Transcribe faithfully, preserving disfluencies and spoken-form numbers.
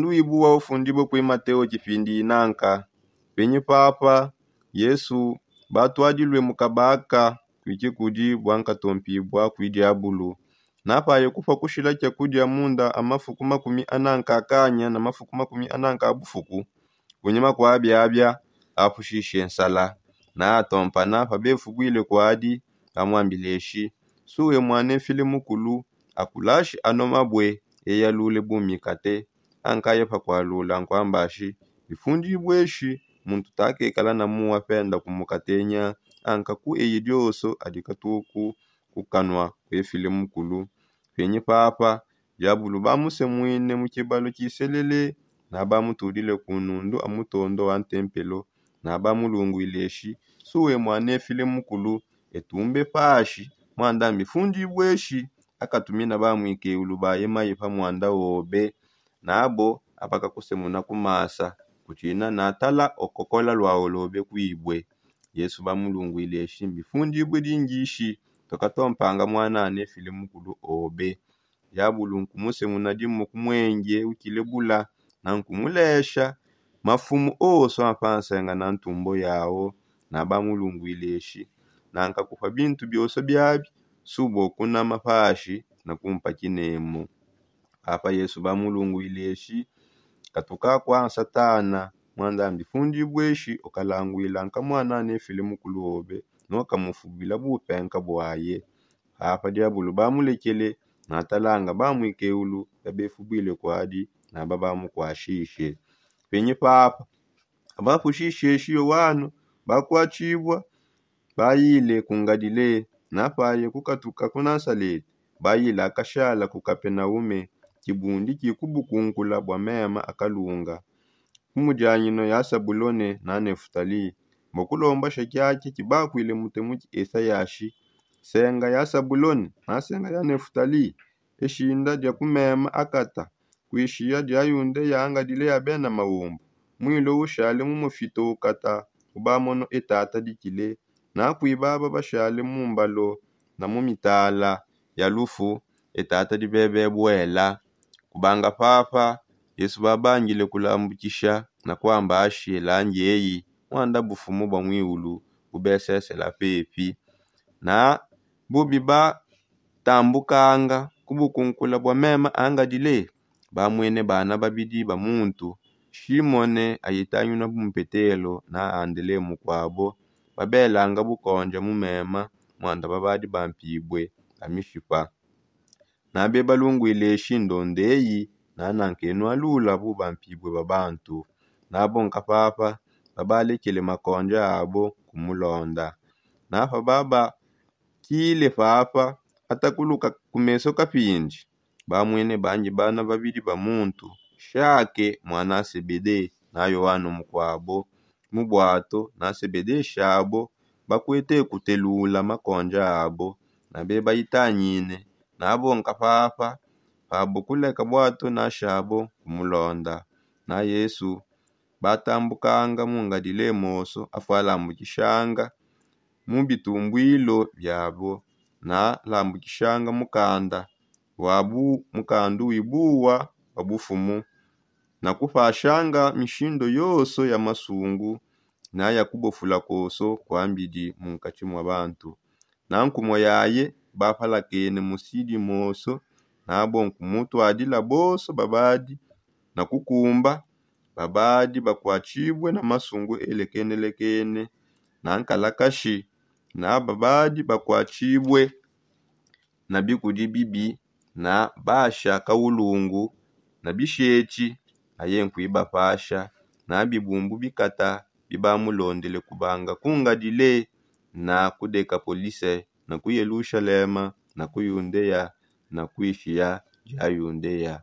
Nduibu wa ufundibue kui mateo kipindi inanka. Penyi papa yesu batuadilue mu kabaka kuiki kudi bua nkatompibua kui diabulu. Napaye kupua kushila kia kudia munda a mafuku makumi ananka akanya na mafuku makumi ananka a bufuku. Kunyima kua biabia apushishe nsala. Naatompana pa befubuile kuadi, amuambile eshi, suwe muanefile mukulu, akulashi ano mabue eyalule bumikate. Ankaye pakualula nkuambashi, bifundibue eshi, muntu takekala na mua penda kumukatenya. Anka ku eye dioso adi katuku kukanua kuefile mukulu. Penyi papa diabulu bamusemuine mu kibalu kiselele, nabamutudile ku nundu a mutondo wa ntempelo, nabamulunguile eshi, suwe muanefile mukulu, etumbe pashi, muanda mbifundibue eshi. Akatumina bamuikeulu baye maye pa muanda obe. Nabo abakakusemuna ku masa, kutshina natala okokola luaolobe kuibue. Yesu bamulunguile eshi, mbifundibue dingishi, tukatompanga muana anefile mukulu obe. Diabulu nkumusemuna dimu ku muenge ukile bula, na nkumulesha mafumu oso a pa nsenga na ntumbo yao. Nabamulunguile eshi, nankakupa bintu bioso biabi, subua kunama pashi na kumpa kinemu. Papa yesu bamulunguile eshi, katuka kua nsatana, muanda mbifundibue eshi ukalanguila nka muana anefile mukulu obe, nokamufubila bupenka buaye. Papa diabulu bamulekele, natalanga bamuikeulu babefubuile kuadi, naba bamukuashishe. Penyi papa abapushishe eshi yowanu, bakuatshibua, bayile ku ngalile. Napaye kukatuka ku nasalete, bayile akashala ku kapenaume, kibundi kikubukunkula bua mema akalunga. Ku mudianyino ya sabulone na nefutali, mbukulomba shakiaki kibakuile mutemu ki esayashi. Senga ya sabulone na senga ya nefutali, eshinda dia ku mema akata, kuishiya dia yundeya angalile ya bena maumbu. Muilo ushale mu mufito ukata, ubamono etata dikile. Nakui baba bashale mu mbalo na mu mitala ya lufu, etata dibebe buela. Kubanga papa yesu babangile kulambukisha na kuamba ashi elangi eyi, muanda bufumu bua muiulu bubesesela pepi. Na bubi batambukanga ku bukunkula bua mema angalile, bamuene bana babidi ba muntu, shimone ayitanyuna bu mpetelo na andele mukuabo. Babelanga bukonja mu mema, muanda babadi bampibue ba mishipa. Nabebalunguile eshi ndonda eyi, nananka enu alula bu bampibue ba bantu. Nabo nka papa babalekele makonja abo kumulonda. Napa baba kile papa atakuluka ku meso kapindi, bamwene bangi bana babidi ba muntu, shake mwana a sebede na yoano mukuabo. Mu bwato na sebede shabo bakuete kutelula makonja abo, na bebayitanyine. Nabo nka papa pabo kuleka bwato na shabo kumulonda. Na yesu batambukanga mu ngalile moso afualambukishanga mu bitumbwilo biabo, na lambukishanga mukanda wa bu mukandu wibuwa wa bufumu, na kupashanga mishindo yonso ya masungu na ya kubofula konso kuambidi munkatshi mua bantu. Na nkumua yaye bapalakene musidi moso, nabo nkumutuadila bonso babadi na kukumba, babadi bakuatshibue na masungu elekenelekene na nkalakashi, na babadi bakuatshibue na bikudi bibi, na basha kaulungu, na bishetshi, aye nkuibapasha na bibumbu bikata bibamulondele kubanga ku ngalile, na ku dekapolise, na ku yelushalema, na ku yundeya, na kuishiya dia yundeya.